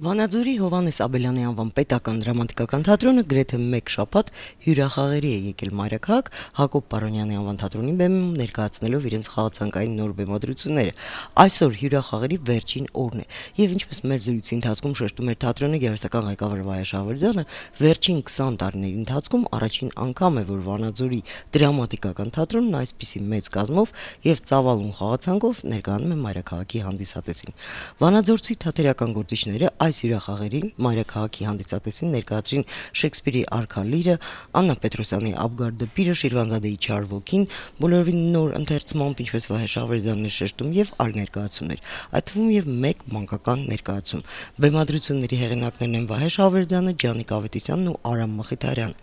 Վանաձորի Հովհաննես Աբելյանի անվան պետական դրամատիկական թատրոնը գրեթե մեկ շաբաթ հյուրախաղերի է եկել մայրաքաղաք Հակոբ Պարոնյանի անվան թատրոնի բեմում ներկայացնելով իրենց խաղացանկային նոր բեմադրությունները։ Այսօր հյուրախաղերի վերջին օրն է, եւ ինչպես մեր զրույցի ընթացքում շեշտում էր թատրոնի գեղեցկական ղեկավար Վահե Շահվերդյանը, վերջին 20 տարիների ընթացքում առաջին անգամ է, որ Վանաձորի դրամատիկական թատրոնն այսպիսի մեծ կազմով եւ ծավալուն խաղացանկով ներկայանում է մայրաքաղաքի հանդիսատեսին։ Վանաձորցի թատերական գործիչները այս հյուրախաղերին մայրաքաղաքի հանդիսատեսին ներկայացրին Շեքսպիրի Արքա Լիրը, Աննա Պետրոսյանի Աբգար դպիրը, Շիրվանզադեի Չար ոգին, բոլորովին նոր ընթերցմամբ, ինչպես Վահե Շահվերդյանն է շեշտում, եւ այլ ներկայացումներ, այդ թվում եւ մեկ մանկական ներկայացում։ Բեմադրությունների հեղինակներն են Վահե Շահվերդյանը, Ջանիկ Ավետիսյանն ու Արամ Մխիթարյանը։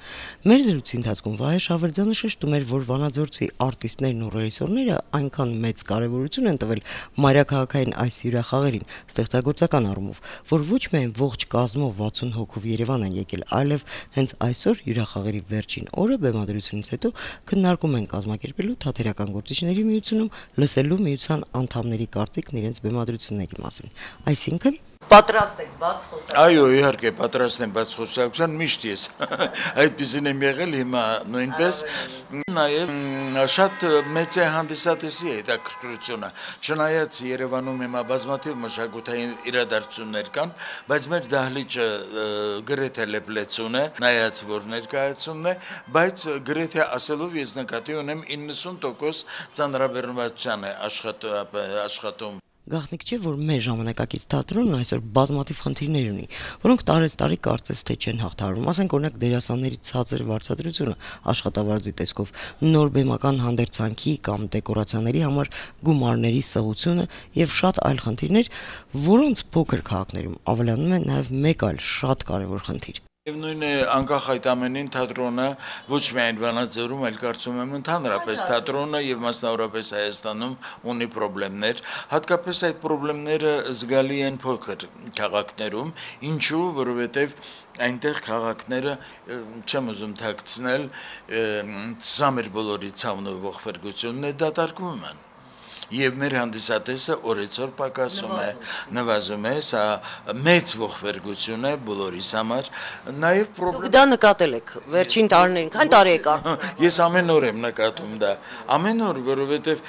Մեր զրույցի ընթացքում Վահե Շահվերդյանը շեշտում էր, որ Վանաձորցի արտիստներն ու ռեժիսորները այնքան մեծ կարեւորություն են տվել մայրաքաղաքային այս հյուրախաղերին ստեղծագործական առումով, որ ոչ միայն ողջ կազմով 60 հոգով Երևան են եկել, այլև հենց այսօր հյուրախաղերի վերջին օրը բեմադրությունից հետո քննարկում են կազմակերպելու թատերական գործիչների միությունում լսելու միության անդամների կարծիքն իրենց բեմադրությունների մասին։ Այսինքն պատրաստ եք բաց խոսակցության։ Այո, իհարկե, պատրաստ եմ բաց խոսակցության, միշտ ես այդպեսին եմ եղել, հիմա նույնպես, նաև շատ մեծ է հանդիսատեսի հետաքրքրությունը, չնայած Երևանում հիմա բազմաթիվ մշակութային իրադարձություններ կան, բայց մեր դահլիճը գրեթե լեփլեցուն է, նայած որ ներկայացումն է, բայց գրեթե ասելով ես նկատի ունեմ 90% ծանրաբեռնվածության է աշխատում։ Գաղտնիք չէ, որ մեր ժամանակակից թատրոնն այսօր բազմաթիվ խնդիրներ ունի, որոնք տարեստարի կարծես թե չեն հաղթահարվում, ասենք օրինակ դերասանների ցածր վարձատրությունը աշխատավարձի տեսքով, նոր բեմական հանդերձանքի կամ դեկորացիաների համար գումարների սղությունը եւ շատ այլ խնդիրներ, որոնց փոքր քաղաքներում ավելանում է նաեւ մեկ այլ շատ կարեւոր խնդիր։ Եվ նույն է անկախ այդ ամենին թատրոնը ոչ միայն Վանաձորում, այլ կարծում եմ ընդհանրապես թատրոնը եւ մասնավորապես Հայաստանում ունի խնդիրներ, հատկապես այդ խնդիրները զգալի են փոքր քաղաքներում, ինչու, որովհետեւ այնտեղ քաղաքները չեմ ուզում թաքցնել, սա մեր բոլորի ցավն ու ողբերգությունն է դատարկվում են։ Եվ մեր հանդիսատեսը օրեցօր պակասում է, նվազում է, սա մեծ ողբերգություն է բոլորիս համար, նաև Դուք դա նկատել եք վերջին տարիներին, քանի տարի եք արդեն։ Ես ամեն օր եմ նկատում դա, ամեն օր, որովհետև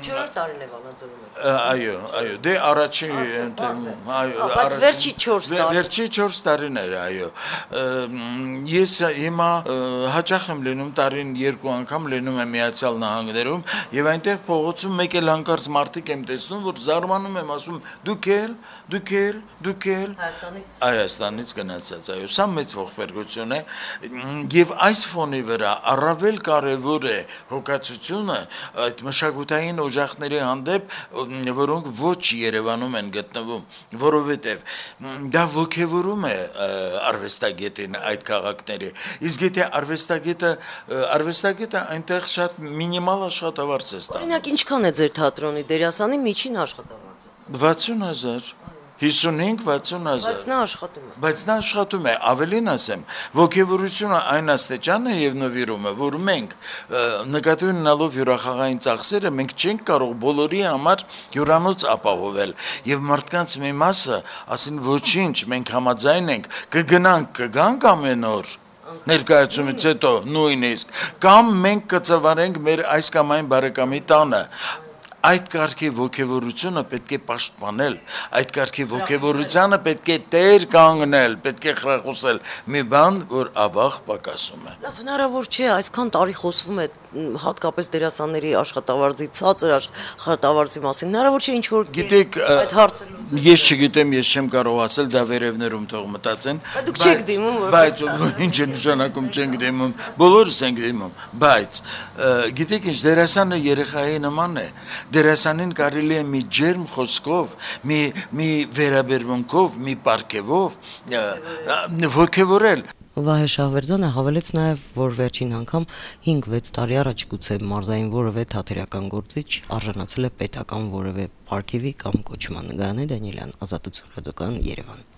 4 տարին է Վանաձորում։ Այո, դե առաջին, բայց վերջի 4 տարի։ Վերջի 4 տարիներ, այո։ Ես հիմա հաճախ եմ լինում տարին 2 անգամ լինում եմ Միացյալ Նահանգներում եւ այնտեղ փողոցում մեկ էլ հանկարծ մարդիկ եմ տեսնում, որ զարմանում եմ, ասում դուք էլ Հայաստանից գնացած, այո, սա մեծ ողբերգություն է եւ այս ֆոնի վրա առավել կարեւոր է հոգացությունը այդ մշակութային օժախների հանդեպ, որոնք ոչ Երևանում են գտնվում, որովհետեւ դա ոգևորում է արվեստագետին այդ քաղաքների։ Իսկ եթե արվեստագետը այնտեղ շատ մինիմալ աշխատավարձ է ստանում։ Օրինակ ինչքան է ձեր թատրոնի դերասանի միջին աշխատավարձը։ 60,000 55-60,000 Բայց նա աշխատում է։ Ավելին ասեմ, ոգևորությունը այն աստիճան է եւ նվիրումը, որ մենք նկատի ունենալով հյուրախաղային ծախսերը մենք չենք կարող բոլորի համար հյուրանոց ապահովել եւ մարդկանց մի մասը ասին ոչինչ, մենք համաձայն ենք, կգանք ամեն օր ներկայացումից հետո նույնիսկ կամ մենք կծավալենք մեր այս կամ այն բարեկամի տանը։ Այդ կարգի ոգևորությունը պետք է պաշտպանել, այդ կարգի ոգևորությանը պետք է տեր կանգնել, պետք է խրախուսել մի բան, որ ավաղ պակասում է։ Լավ, հնարավոր չէ, այսքան տարի խոսվում է հատկապես դերասանների աշխատավարձի ցածր աշխատավարձի մասին, հնարավոր չէ ինչ որ գիտեք, այդ հարցը ես չգիտեմ, ես չեմ կարող ասել, դա վերևներում թող մտածեն։ Դուք չեք դիմում, բայց ինչ է նշանակում չենք դիմում, բոլորս ենք դիմում, բայց գիտեք ինչ, դերասանը երեխայի նման է։ Դերասանին կարելի է մի ջերմ խոսքով, մի վերաբերմունքով, մի պարգևով ոգևորել։ Վահե Շահվերդյանը հավելեց նաև, որ վերջին անգամ 5-6 տարի առաջ գուցե մարզային որևէ թատերական գործիչ արժանացել է պետական որևէ պարգևի կամ կոչման։ Գայանե Դանիելյան, Ազատություն ռադիոկայան, Երևան։